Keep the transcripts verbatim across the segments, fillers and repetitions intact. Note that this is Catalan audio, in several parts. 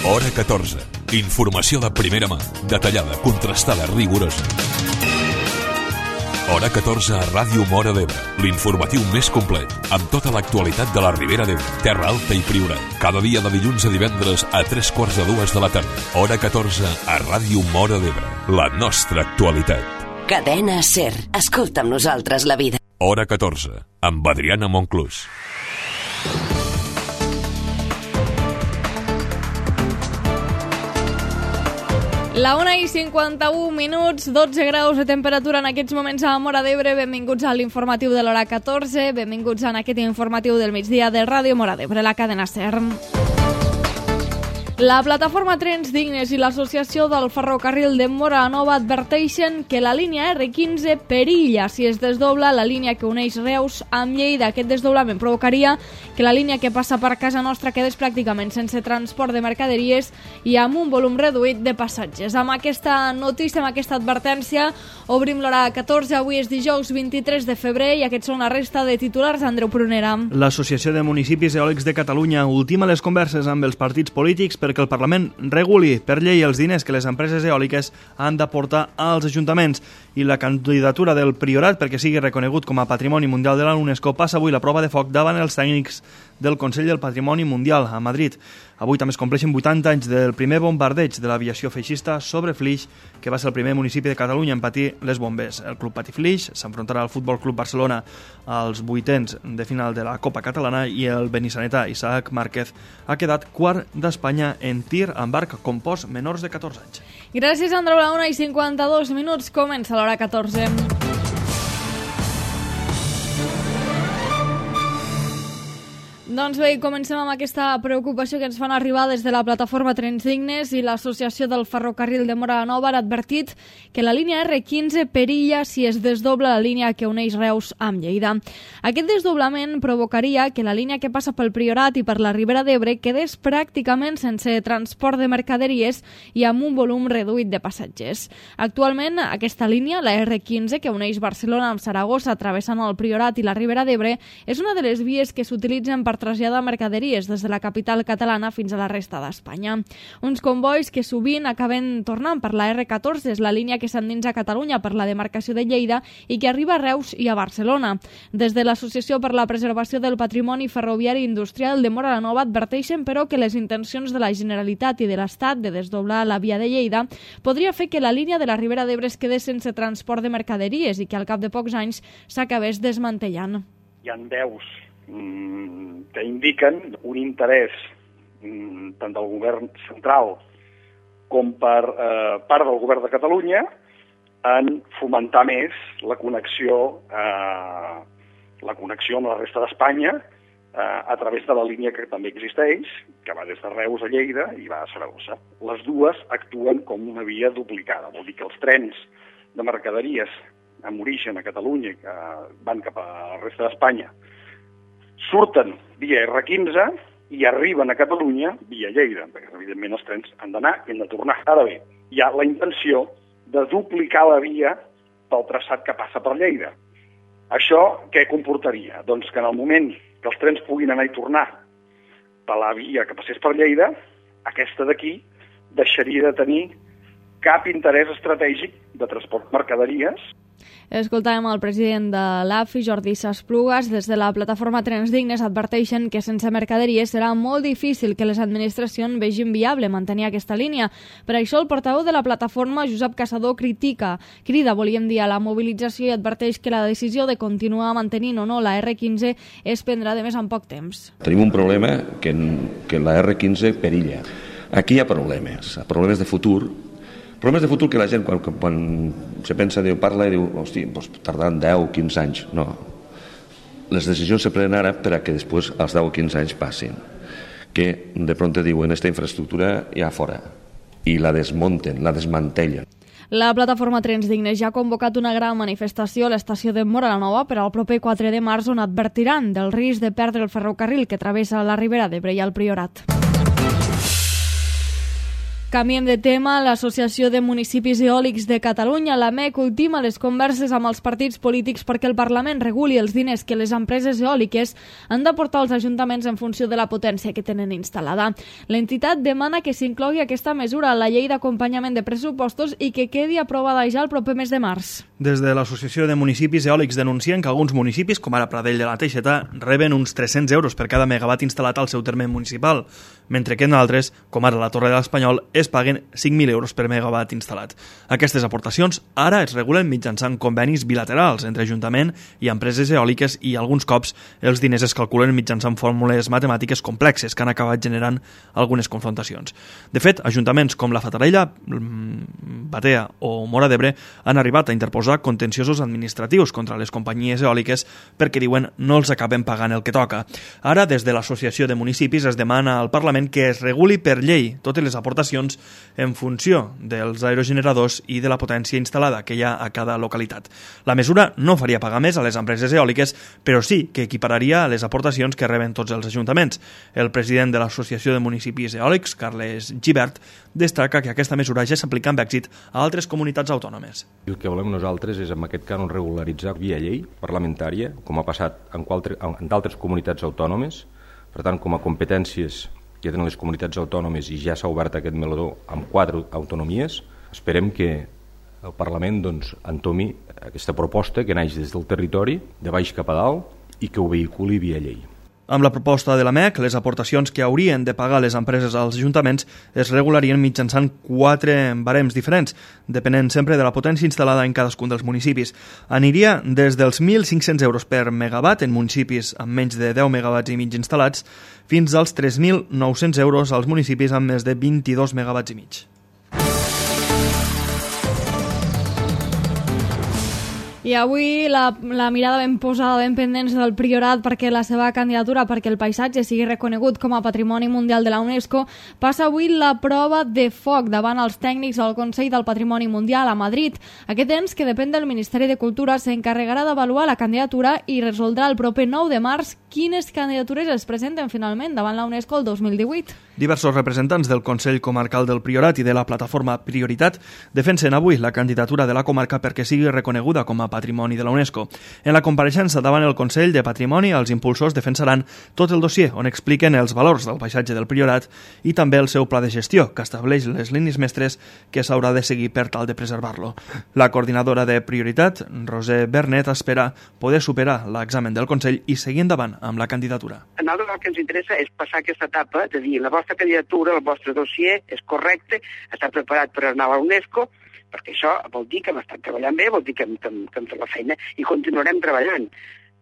Hora catorze. Informació de primera mà, detallada, contrastada, rigorosa. Hora catorze a Ràdio Móra d'Ebre, l'informatiu més complet, amb tota l'actualitat de la Ribera d'Ebre, Terra Alta i Priorat. Cada dia de dilluns a divendres a tres quarts de dues de la tarda. Hora catorze a Ràdio Móra d'Ebre, la nostra actualitat. Cadena SER. Escolta amb nosaltres la vida. Hora catorze, amb Adriana Monclús. La una i cinquanta-u minuts, dotze graus de temperatura en aquests moments a Móra d'Ebre. Benvinguts a l'informatiu de l'hora catorze, benvinguts a aquest informatiu del migdia de Ràdio Móra d'Ebre, la cadena SER. La plataforma Trens Dignes i l'Associació del Ferrocarril de Móra la Nova adverteixen que la línia erre quinze perilla si es desdobla la línia que uneix Reus amb Lleida. Aquest desdoblament provocaria que la línia que passa per casa nostra quedés pràcticament sense transport de mercaderies i amb un volum reduït de passatgers. Amb aquesta notícia, amb aquesta advertència, obrim l'hora catorze. Avui és dijous vint-i-tres de febrer i aquests són la resta de titulars. Andreu Prunera. L'Associació de Municipis Eòlics de Catalunya ultima les converses amb els partits polítics perquè el Parlament reguli per llei els diners que les empreses eòliques han d'aportar als ajuntaments, i la candidatura del Priorat perquè sigui reconegut com a Patrimoni Mundial de la UNESCO passa avui la prova de foc davant els tècnics del Consell del Patrimoni Mundial a Madrid. Avui també es compleixen vuitanta anys del primer bombardeig de l'aviació feixista sobre Flix, que va ser el primer municipi de Catalunya en patir les bombes. El Club Patí Flix s'enfrontarà al Futbol Club Barcelona als vuitens de final de la Copa Catalana i el benissanetà Isaac Márquez ha quedat quart d'Espanya en tir amb arc compost menors de catorze anys. Gràcies, Andreu. A la una i cinquanta-dos minuts comença l'hora catorze. Doncs bé, comencem amb aquesta preocupació que ens fan arribar des de la plataforma Trens Dignes i l'Associació del Ferrocarril de Móra la Nova. Han advertit que la línia erre quinze perilla si es desdobla la línia que uneix Reus amb Lleida. Aquest desdoblament provocaria que la línia que passa pel Priorat i per la Ribera d'Ebre quedés pràcticament sense transport de mercaderies i amb un volum reduït de passatgers. Actualment, aquesta línia, la erre quinze, que uneix Barcelona amb Saragossa travessant el Priorat i la Ribera d'Ebre, és una de les vies que s'utilitzen per traslladar mercaderies des de la capital catalana fins a la resta d'Espanya. Uns convois que sovint acaben tornant per la erre catorze, és la línia que s'endinsa a Catalunya per la demarcació de Lleida i que arriba a Reus i a Barcelona. Des de l'Associació per la Preservació del Patrimoni Ferroviari Industrial de Móra la Nova adverteixen, però, que les intencions de la Generalitat i de l'Estat de desdoblar la via de Lleida podria fer que la línia de la Ribera d'Ebre es quedés sense transport de mercaderies i que al cap de pocs anys s'acabés desmantellant. Hi ha veus que indiquen un interès tant del govern central com per eh, part del govern de Catalunya en fomentar més la connexió, eh, la connexió amb la resta d'Espanya eh, a través de la línia que també existeix, que va des de Reus a Lleida i va a Saragossa. Les dues actuen com una via duplicada, vol dir que els trens de mercaderies amb origen a Catalunya que van cap a la resta d'Espanya surten via erre quinze i arriben a Catalunya via Lleida, perquè evidentment els trens han d'anar i han de tornar. Ara bé, hi ha la intenció de duplicar la via pel traçat que passa per Lleida. Això què comportaria? Doncs que en el moment que els trens puguin anar i tornar per la via que passés per Lleida, aquesta d'aquí deixaria de tenir cap interès estratègic de transport de mercaderies. Escoltàvem el president de l'A F I, Jordi Sasplugas. Des de la plataforma Trens Dignes adverteixen que sense mercaderies serà molt difícil que les administracions vegin viable mantenir aquesta línia. Per això el portaveu de la plataforma, Josep Caçador, critica, crida, volíem dir, a la mobilització i adverteix que la decisió de continuar mantenint o no la erre quinze es prendrà de més en poc temps. Tenim un problema que, que la erre quinze perilla. Aquí hi ha problemes, problemes de futur, problemes de futur que la gent, quan, quan se pensa, diu, parla i diu, hosti, doncs tardaran deu o quinze anys. No. Les decisions se prenen ara per a que després els deu o quinze anys passin. Que de pronto diuen, esta infraestructura ja fora. I la desmunten, la desmantellen. La plataforma Trens Dignes ja ha convocat una gran manifestació a l'estació de Móra la Nova per al proper quatre de març, on advertiran del risc de perdre el ferrocarril que travessa la Ribera d'Ebre i el Priorat. Canviem de tema. L'Associació de Municipis Eòlics de Catalunya, l'A M E C, ultima les converses amb els partits polítics perquè el Parlament reguli els diners que les empreses eòliques han d'aportar als ajuntaments en funció de la potència que tenen instal·lada. L'entitat demana que s'inclogui aquesta mesura a la llei d'acompanyament de pressupostos i que quedi aprovada ja el proper mes de març. Des de l'Associació de Municipis Eòlics denuncien que alguns municipis, com ara Pradell de la Teixeta, reben uns tres-cents euros per cada megawatt instal·lat al seu terme municipal, mentre que en altres, com ara la Torre de l'Espanyol, es paguen cinc mil euros per megawatt instal·lat. Aquestes aportacions ara es regulen mitjançant convenis bilaterals entre Ajuntament i empreses eòliques i alguns cops els diners es calculen mitjançant fórmules matemàtiques complexes que han acabat generant algunes confrontacions. De fet, ajuntaments com la Fatarella, Batea o Móra d'Ebre han arribat a interposar contenciosos administratius contra les companyies eòliques perquè diuen no els acaben pagant el que toca. Ara, des de l'Associació de Municipis es demana al Parlament que es reguli per llei totes les aportacions en funció dels aerogeneradors i de la potència instal·lada que hi ha a cada localitat. La mesura no faria pagar més a les empreses eòliques, però sí que equipararia les aportacions que reben tots els ajuntaments. El president de l'Associació de Municipis Eòlics, Carles Gibert, destaca que aquesta mesura ja s'aplica amb èxit a altres comunitats autònomes. El que volem nosaltres és, en aquest cas, regularitzar via llei parlamentària, com ha passat en d'altres comunitats autònomes. Per tant, com a competències que tenen les comunitats autònomes i ja s'ha obert aquest meló amb quatre autonomies, esperem que el Parlament doncs, entomi aquesta proposta que naix des del territori, de baix cap a dalt, i que ho vehiculi via llei. Amb la proposta de l'A M E C, les aportacions que haurien de pagar les empreses als ajuntaments es regularien mitjançant quatre barems diferents, depenent sempre de la potència instal·lada en cadascun dels municipis. Aniria des dels mil cinc-cents euros per megawatt en municipis amb menys de deu megawatts i mig instal·lats fins als tres mil nou-cents euros als municipis amb més de vint-i-dos megawatts i mig. I avui la, la mirada ben posada, ben pendents del Priorat perquè la seva candidatura perquè el paisatge sigui reconegut com a Patrimoni Mundial de la UNESCO passa avui la prova de foc davant els tècnics del Consell del Patrimoni Mundial a Madrid. Aquest ens, que depèn del Ministeri de Cultura, s'encarregarà d'avaluar la candidatura i resoldrà el proper nou de març quines candidatures es presenten finalment davant la UNESCO el dos mil divuit. Diversos representants del Consell Comarcal del Priorat i de la plataforma Prioritat defensen avui la candidatura de la comarca perquè sigui reconeguda com a Patrimoni de la UNESCO. En la compareixença davant el Consell de Patrimoni, els impulsors defensaran tot el dossier on expliquen els valors del paisatge del Priorat i també el seu pla de gestió, que estableix les línies mestres que s'haurà de seguir per tal de preservar-lo. La coordinadora de Prioritat, Roser Bernet, espera poder superar l'examen del Consell i seguir endavant amb la candidatura. A nosaltres el que ens interessa és passar aquesta etapa de dir la vostra candidatura, el vostre dossier és correcte, està preparat per anar a la UNESCO, perquè això vol dir que hem estat treballant bé, vol dir que hem, que hem, que hem fet la feina i continuarem treballant,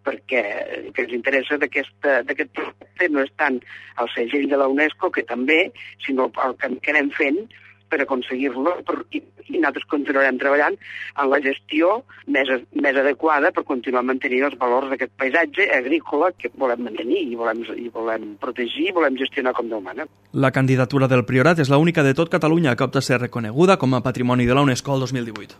perquè el que ens interessa d'aquest projecte no és tant el segell de la UNESCO, que també, sinó el que, que anem fent per aconseguir-lo i, i nosaltres continuarem treballant en la gestió més, més adequada per continuar mantenint els valors d'aquest paisatge agrícola que volem mantenir i volem, i volem protegir i volem gestionar com Déu mana. La candidatura del Priorat és l'única de tot Catalunya que opta a ser reconeguda com a Patrimoni de la UNESCO el dos mil divuit.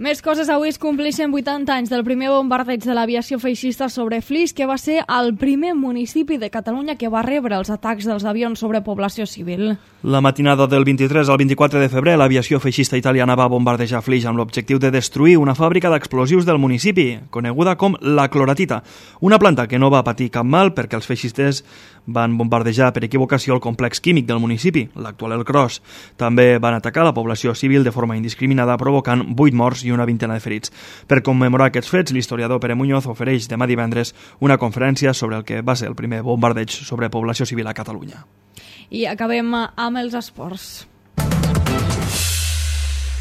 Més coses, avui es compleixen vuitanta anys del primer bombardeig de l'aviació feixista sobre Flix, que va ser el primer municipi de Catalunya que va rebre els atacs dels avions sobre població civil. La matinada del vint-i-tres al vint-i-quatre de febrer, l'aviació feixista italiana va bombardejar Flix amb l'objectiu de destruir una fàbrica d'explosius del municipi, coneguda com la cloratita, una planta que no va patir cap mal perquè els feixistes van bombardejar per equivocació el complex químic del municipi, l'actual El Cros. També van atacar la població civil de forma indiscriminada, provocant vuit morts i una vintena de ferits. Per commemorar aquests fets, l'historiador Pere Muñoz ofereix demà divendres una conferència sobre el que va ser el primer bombardeig sobre població civil a Catalunya. I acabem amb els esports.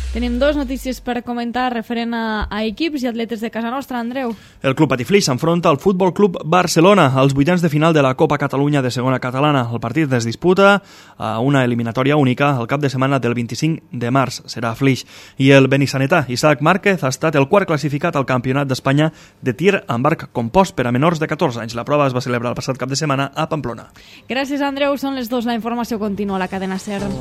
Tenim dues notícies per comentar referent a, a equips i atletes de casa nostra, Andreu. El Club Patiflix s'enfronta al Futbol Club Barcelona als vuitens de final de la Copa Catalunya de segona catalana. El partit es disputa a una eliminatòria única el cap de setmana del vint-i-cinc de març. Serà a Flix. I el benissanetà Isaac Márquez ha estat el quart classificat al Campionat d'Espanya de tir amb arc compost per a menors de catorze anys. La prova es va celebrar el passat cap de setmana a Pamplona. Gràcies, Andreu. Són les dues. La informació continua a la cadena SER.